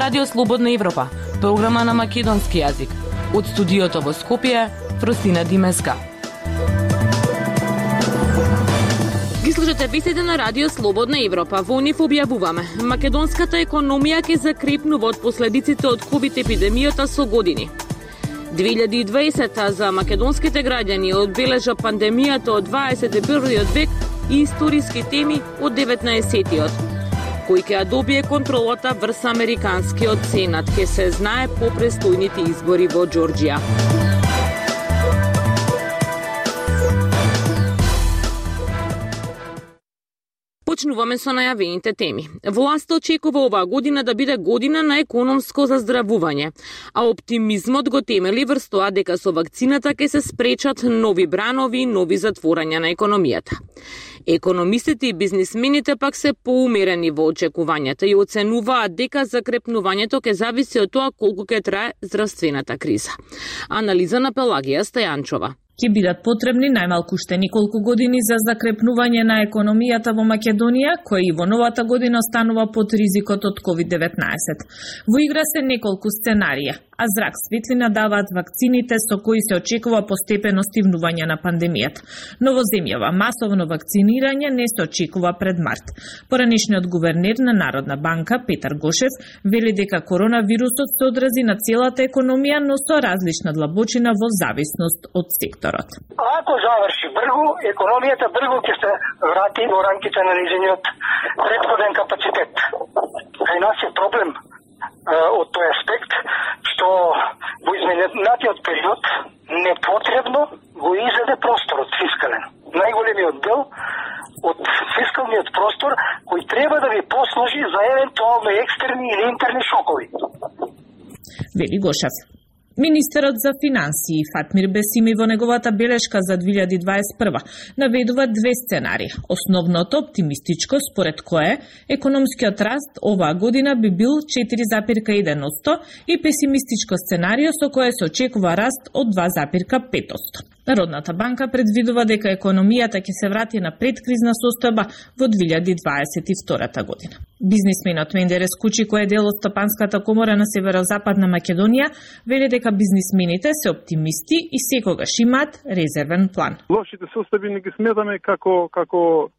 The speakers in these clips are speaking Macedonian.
Радио Слободна Европа, програма на македонски јазик. Од студиото во Скопје, Фросина Димеска. Ги слушате вестите на Радио Слободна Европа. Во нив објавуваме: македонската економија ќе закрепнува од последиците од ковид епидемијата со години. 2020 за македонските граѓани одбележа пандемијата од 21 век и историски теми од 19-тиот. Кој ќе ја добие контролата врз американскиот сенат, ќе се знае по престојните избори во Џорџија. Почнуваме со најавените теми. Власта очекува оваа година да биде година на економско заздравување, а оптимизмот го темели врз тоа дека со вакцината ќе се спречат нови бранови и нови затворања на економијата. Економистите и бизнисмените пак се поумерени во очекувањата и оценуваат дека закрепнувањето ќе зависи од тоа колку ќе трае здравствената криза. Анализа на Пелагија Стајанчова. Ќе бидат потребни најмалку уште неколку години за закрепнување на економијата во Македонија, која и во новата година останува под ризикот од COVID-19. Во игра се неколку сценарија, а зрак светлина даваат вакцините со кои се очекува постепено стивнување на пандемијата. Но во земјава масовно вакцинирање не се очекува пред март. Поранешниот гувернер на Народна банка Петар Гошев вели дека коронавирусот се одрази на целата економија, но со различна длабочина во зависност од секторот. Ако заврши бргу, економијата бргу ќе се врати во рамките на низиниот претходен капацитет. Кај нас е проблем од тој аспект, што во изминатиот период непотребно го изеде просторот фискален. Најголемиот дел од фискалниот простор кој треба да ви послужи за евентуално екстерни или интерни шокови. Вели Гошев. Министерот за финансии Фатмир Бесими во неговата белешка за 2021 наведува две сценарии. Основното оптимистичко, според кое економскиот раст оваа година би бил 4,1% и песимистичко сценарио со кое се очекува раст од 2,5%. Народната банка предвидува дека економијата ќе се врати на предкризна состојба во 2022 година. Бизнисменот Мендерес Кучи, кој е дел од Стопанската комора на Северозападна Македонија, вели дека бизнисмените се оптимисти и секогаш имаат резервен план. Лошите состојби не ги сметаме како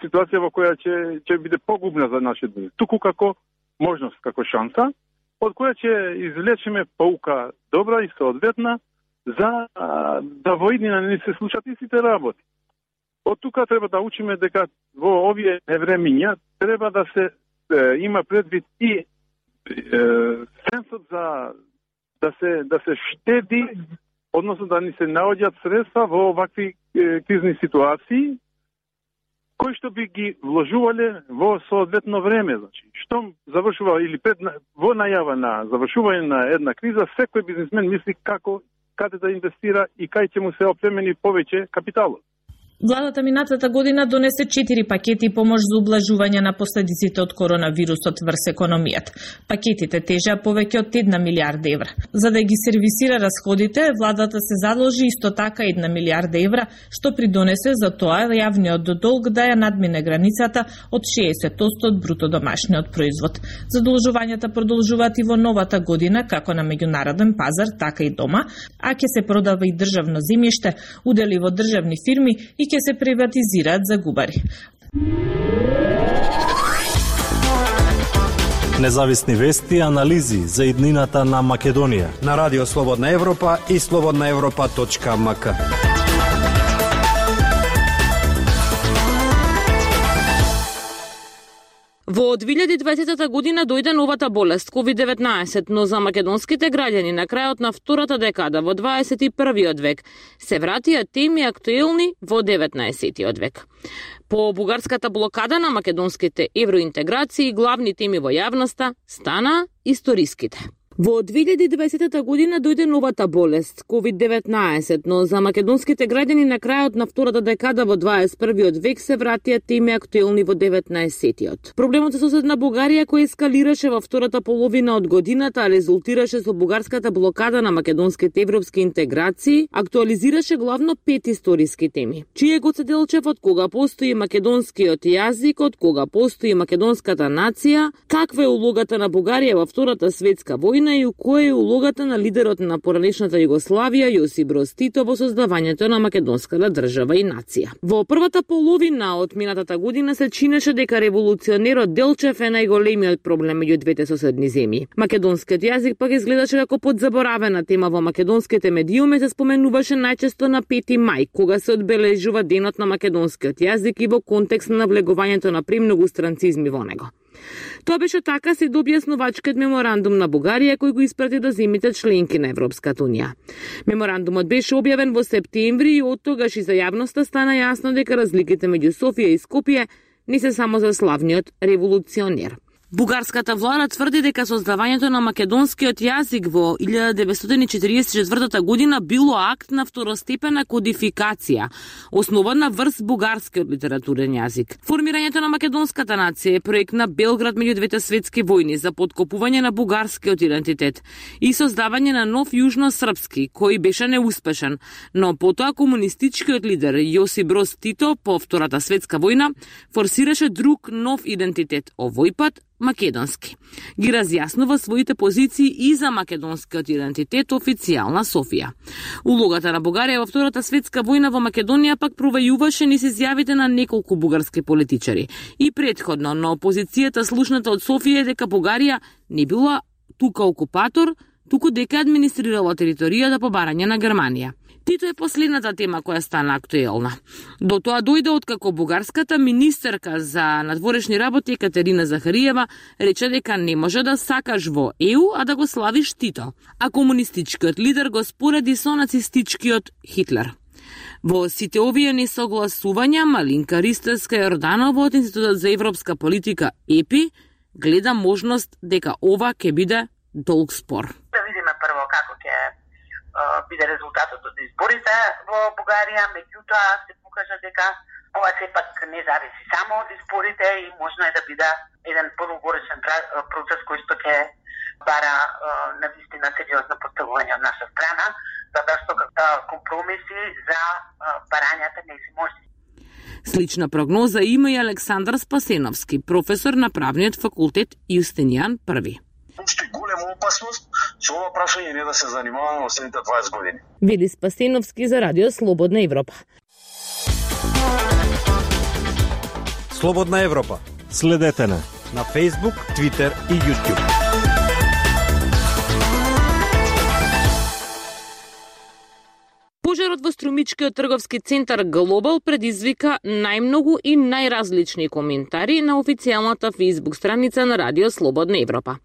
ситуација во која ќе биде погубна за нашиот бизнис, туку како можност, како шанса, од која ќе извлечеме поука добра и соодветна за да во иднина не се случат истите работи. Од тука треба да учиме дека во овие времиња треба да се има предвид и сенсот за да се штеди, односно да ни се наоѓаат средства во овакви кризни ситуации, кои што би ги вложувале во соодветно време. Значи, штом завршува или во најава на завршување на една криза, секој бизнисмен мисли каде да инвестира и кај ќе му се опремени повеќе капиталот. Владата минатата година донесе 4 пакети помош за ублажување на последиците од коронавирусот врз економијата. Пакетите тежеа повеќе од 1 милиарда евра. За да ги сервисира расходите, владата се заложи исто така 1 милиарда евра, што придонесе за тоа јавниот долг да ја надмине границата од 60% од бруто домашниот производ. Задолжувањата продолжуваат и во новата година, како на меѓународен пазар, така и дома, а ќе се продава и државно земјиште, удели во државни фирми и ќе се приватизираат за губари. Независни вести и анализи за иднината на Македонија на Радио Слободна Европа и slobodnaevropa.mk. Во 2020 година дојде новата болест COVID-19, но за македонските граѓани на крајот на втората декада во 21 век се вратија теми актуелни во 19 век. По бугарската блокада на македонските евроинтеграции, главни теми во јавноста стана историските. Во 2020 година дојде новата болест, COVID-19, но за македонските граѓани на крајот на втората декада во 21. век се вратија теми актуелни во 19-тиот. Проблемот со соседна Бугарија кој ескалираше во втората половина од годината, резултираше со бугарската блокада на македонските европски интеграции, актуализираше главно 5 историски теми. Чие го седелчев од кога постои македонскиот јазик, од кога постои македонската нација, каква е улогата на Бугарија во Втората светска војна и која е улогата на лидерот на поранешната Југославија Јосип Броз Тито во создавањето на македонската држава и нација. Во првата половина од минатата година се чинеше дека револуционерот Делчев е најголемиот проблем меѓу двете соседни земји. Македонскиот јазик пак изгледаше како подзаборавена тема во македонските медиуми, се споменуваше најчесто на 5 мај, кога се одбележува денот на македонскиот јазик и во контекст на навлегувањето на премногу странцизми во него. Тоа беше така се објаснувачкиот меморандум на Бугарија кој го испрати до земјите членки на Европската унија. Меморандумот беше објавен во септември и од тогаш и за јавноста стана јасно дека разликите меѓу Софија и Скопје не се само за славниот револуционер. Бугарската влада тврди дека создавањето на македонскиот јазик во 1944 година било акт на второстепена кодификација, основана врз бугарскиот литературен јазик. Формирањето на македонската нација е проект на Белград меѓу двете светски војни за подкопување на бугарскиот идентитет и создавање на нов јужно-српски, кој беше неуспешен, но потоа комунистичкиот лидер Јосип Броз Тито по Втората светска војна форсираше друг нов идентитет, овој пат македонски. Ги разјаснува своите позиции и за македонскиот идентитет официјална Софија. Улогата на Бугарија во Втората светска војна во Македонија пак провајуваше низ изјавите на неколку бугарски политичари. И претходно на опозицијата слушната од Софија дека Бугарија не била тука окупатор, туку дека администрирала територијата по барање на Германија. Тито е последната тема која стана актуелна. До тоа дојде откако бугарската министерка за надворешни работи Екатерина Захариева рече дека не може да сакаш во ЕУ, а да го славиш Тито, а комунистичкиот лидер го спореди со нацистичкиот Хитлер. Во сите овие несогласувања Малинка Ристевска Јорданова од Институтот за европска политика ЕПИ гледа можност дека ова ќе биде долг спор. Да видиме прво како ќе биде резултатот од изборите во Бугарија, меѓутоа се покажа дека ова сепак не зависи само од изборите и можно е да биде еден подолгоречен процес кој што ќе бара навистина сериозно поставување од наша страна, затоа што компромиси за барањата не се може. Слична прогноза има и Александар Спасеновски, професор на правниот факултет Јустинијан I. Уште голема опасност со ова прашање не да се занимаваме во следните 20 години. Вели Спасеновски за Радио Слободна Европа. Слободна Европа. Следете на Facebook, Twitter и YouTube. Пожарот во струмичкиот трговски центар Глобал предизвика најмногу и најразлични коментари на официјалната Facebook страница на Радио Слободна Европа.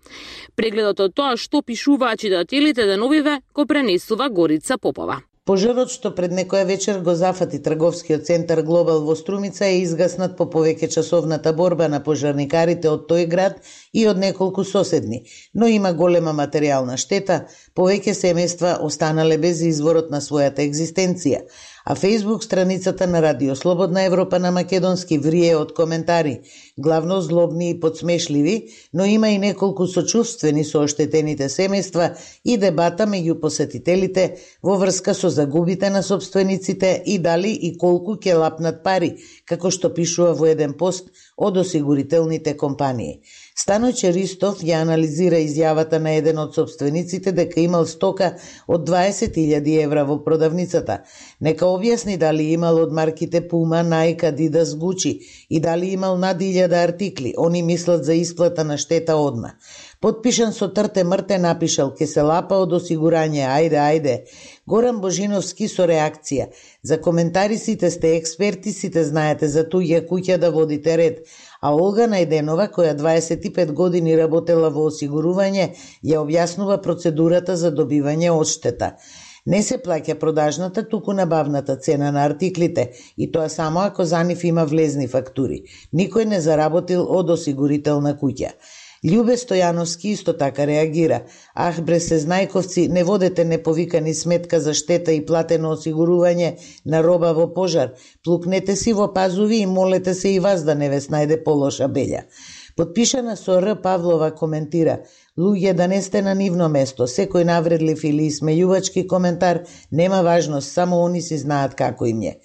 Прегледот од тоа што пишуваат читателите деновиве го пренесува Горица Попова. Пожарот што пред некоја вечер го зафати трговскиот центар Глобал во Струмица е изгаснат по повеќе часовната борба на пожарникарите од тој град и од неколку соседни, но има голема материјална штета, повеќе семејства останале без изворот на својата екзистенција, а Facebook страницата на Радио Слободна Европа на македонски врие од коментари, главно злобни и подсмешливи, но има и неколку сочувствени со оштетените семејства и дебата меѓу посетителите во врска со загубите на собствениците и дали и колку ќе лапнат пари, како што пишува во еден пост од осигурителните компании. Станојче Ристов ја анализира изјавата на еден од собствениците дека имал стока од 20.000 евра во продавницата. Нека објасни дали имал од марките Puma, Nike, Adidas, Gucci и дали имал над 1000 артикли. Они мислат за исплата на штета одма. Подпишан со трте мрте напишал ке се лапа од осигурање, ајде. Горан Божиновски со реакција. За коментари сите сте експерти, сите знаете за туѓа куќа да водите ред. А Олга Најденова, која 25 години работела во осигурување, ја објаснува процедурата за добивање одштета. Не се плаќа продажната, туку набавната цена на артиклите, и тоа само ако за нив има влезни фактури. Никој не заработил од осигурителна куќа. Љубе Стојановски исто така реагира. Ах, бре сезнајковци, не водете неповикани сметка за штета и платено осигурување на роба во пожар. Плукнете си во пазуви и молете се и вас да не ве снајде полоша белја. Подпишана со Р. Павлова коментира: луѓе, да не сте на нивно место, секој навредлив или смејувачки коментар нема важност, само они си знаат како им е.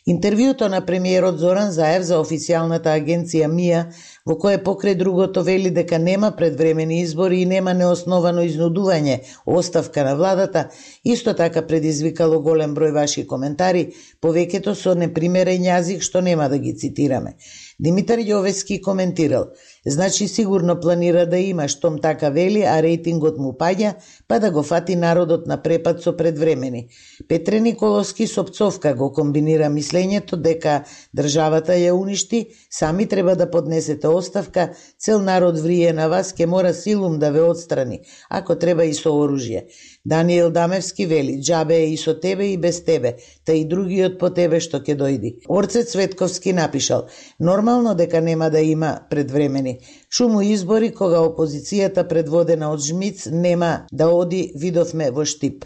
Интервјуто на премиерот Зоран Заев за официјалната агенција МИА, во кое покрај другото вели дека нема предвремени избори и нема неосновано изнудување оставка на владата, исто така предизвикало голем број ваши коментари, повеќето со непримерен јазик што нема да ги цитираме. Димитар Јовески коментирал: значи сигурно планира да има, штом така вели, а рейтингот му паѓа, па да го фати народот на препад со предвремени. Петре Николовски со пцовка го комбинира мислењето дека државата ја уништи, сами треба да поднесете оставка, цел народ врие на вас, ке мора силум да ве отстрани, ако треба и со оружје. Даниел Дамевски вели: џабе е и со тебе и без тебе, та и другиот по тебе што ќе дојди. Орце Цветковски напишал: нормално дека нема да има предвремени. Шуму избори кога опозицијата предводена од Жмиц нема да оди, видовме во Штип.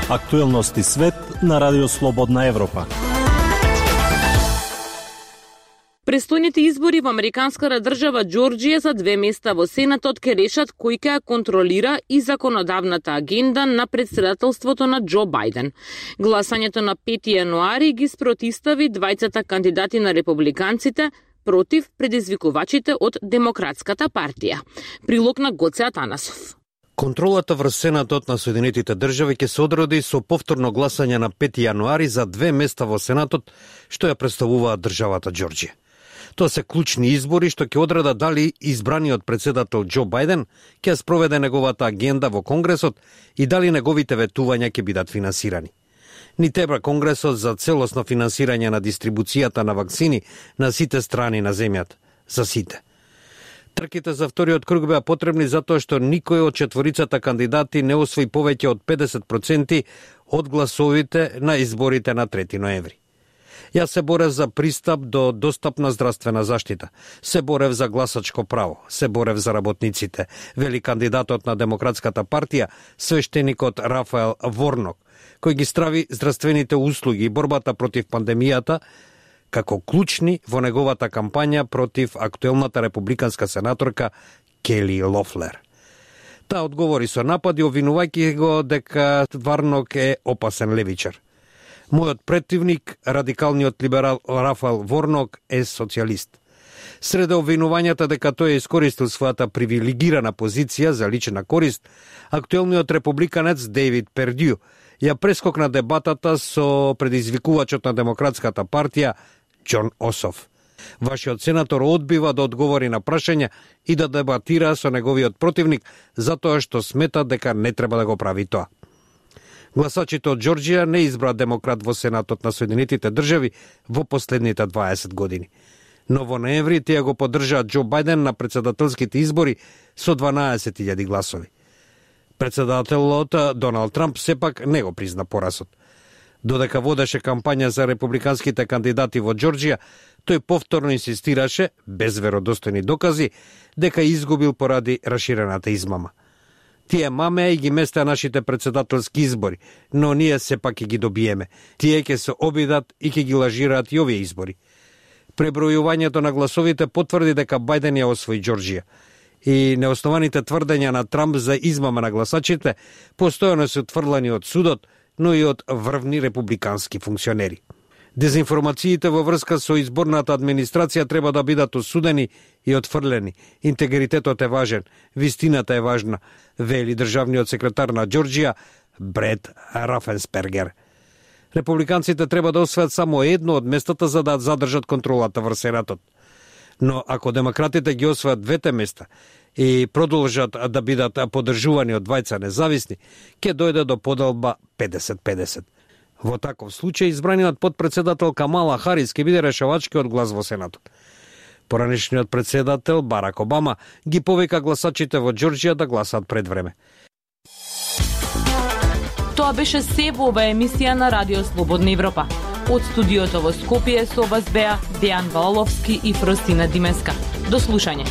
Актуелности свет на Радио Слободна Европа. Престојните избори во американската држава Џорџија за 2 места во Сенатот ке решат кој ќе контролира и законодавната агенда на председателството на Џо Бајден. Гласањето на 5 јануари ги спротивстави двајцата кандидати на републиканците против предизвикувачите од Демократската партија. Прилог на Гоце Атанасов. Контролата врз Сенатот на Соединетите држави ќе се одроди со повторно гласање на 5 јануари за 2 места во Сенатот, што ја представува државата Џорџија. Тоа се клучни избори што ќе одредат дали избраниот председател Џо Бајден ќе спроведе неговата агенда во Конгресот и дали неговите ветувања ќе бидат финансирани. Ни треба Конгресот за целосно финансирање на дистрибуцијата на вакцини на сите страни на земјата, за сите. Трките за вториот круг беа потребни затоа што никој од четворицата кандидати не освои повеќе од 50% од гласовите на изборите на 3 ноември. Јас се борев за пристап до достапна здравствена заштита, се борев за гласачко право, се борев за работниците, вели кандидатот на Демократската партија, свештеникот Рафаел Ворнок, кој ги страви здравствените услуги и борбата против пандемијата како клучни во неговата кампања против актуелната републиканска сенаторка Кели Лофлер. Таа одговори со напади, обвинувајќи го дека Варнок е опасен левичар. Мојот претивник, радикалниот либерал Рафаел Ворнок, е социјалист. Среде обвинувањата дека тој искористил својата привилегирана позиција за лична корист, актуелниот републиканец Дейвид Пердју ја прескокна дебатата со предизвикувачот на Демократската партија Џон Ософ. Вашиот сенатор одбива да одговори на прашања и да дебатира со неговиот противник затоа што смета дека не треба да го прави тоа. Гласачите од Џорџија не избра демократ во Сенатот на Соединетите држави во последните 20 години. Но во ноември тие го поддржаат Џо Бајден на председателските избори со 12.000 гласови. Председателот Доналд Трамп сепак не го призна поразот. Додека водеше кампања за републиканските кандидати во Џорџија, тој повторно инсистираше, без веродостојни докази, дека изгубил поради раширената измама. Тие мамеа и ги местеа нашите председателски избори, но ние сепак ќе ги добиеме. Тие ќе се обидат и ќе ги лажираат и овие избори. Пребројувањето на гласовите потврди дека Бајден ја освои Џорџија. И неоснованите тврдења на Трамп за измама на гласачите постојано се отфрлани од судот, но и од врвни републикански функционери. Дезинформациите во врска со изборната администрација треба да бидат осудени и отфрлени. Интегритетот е важен, вистината е важна, вели државниот секретар на Џорџија Бред Рафенспергер. Републиканците треба да освојат само едно од местата за да задржат контролата врз Сенатот. Но ако демократите ги освојат двете места и продолжат да бидат поддржувани од двајца независни, ќе дојде до поделба 50-50. Во таков случај избраниот подпредседател Камала Харис ќе биде решавачкиот глас во Сенатот. Поранешниот председател Барак Обама ги повика гласачите во Џорџија да гласаат пред време. Тоа беше се во оваа емисија на Радио Слободна Европа. Од студиото во Скопје со вас беа Дејан Валовски и Фростина Димеска. До слушање.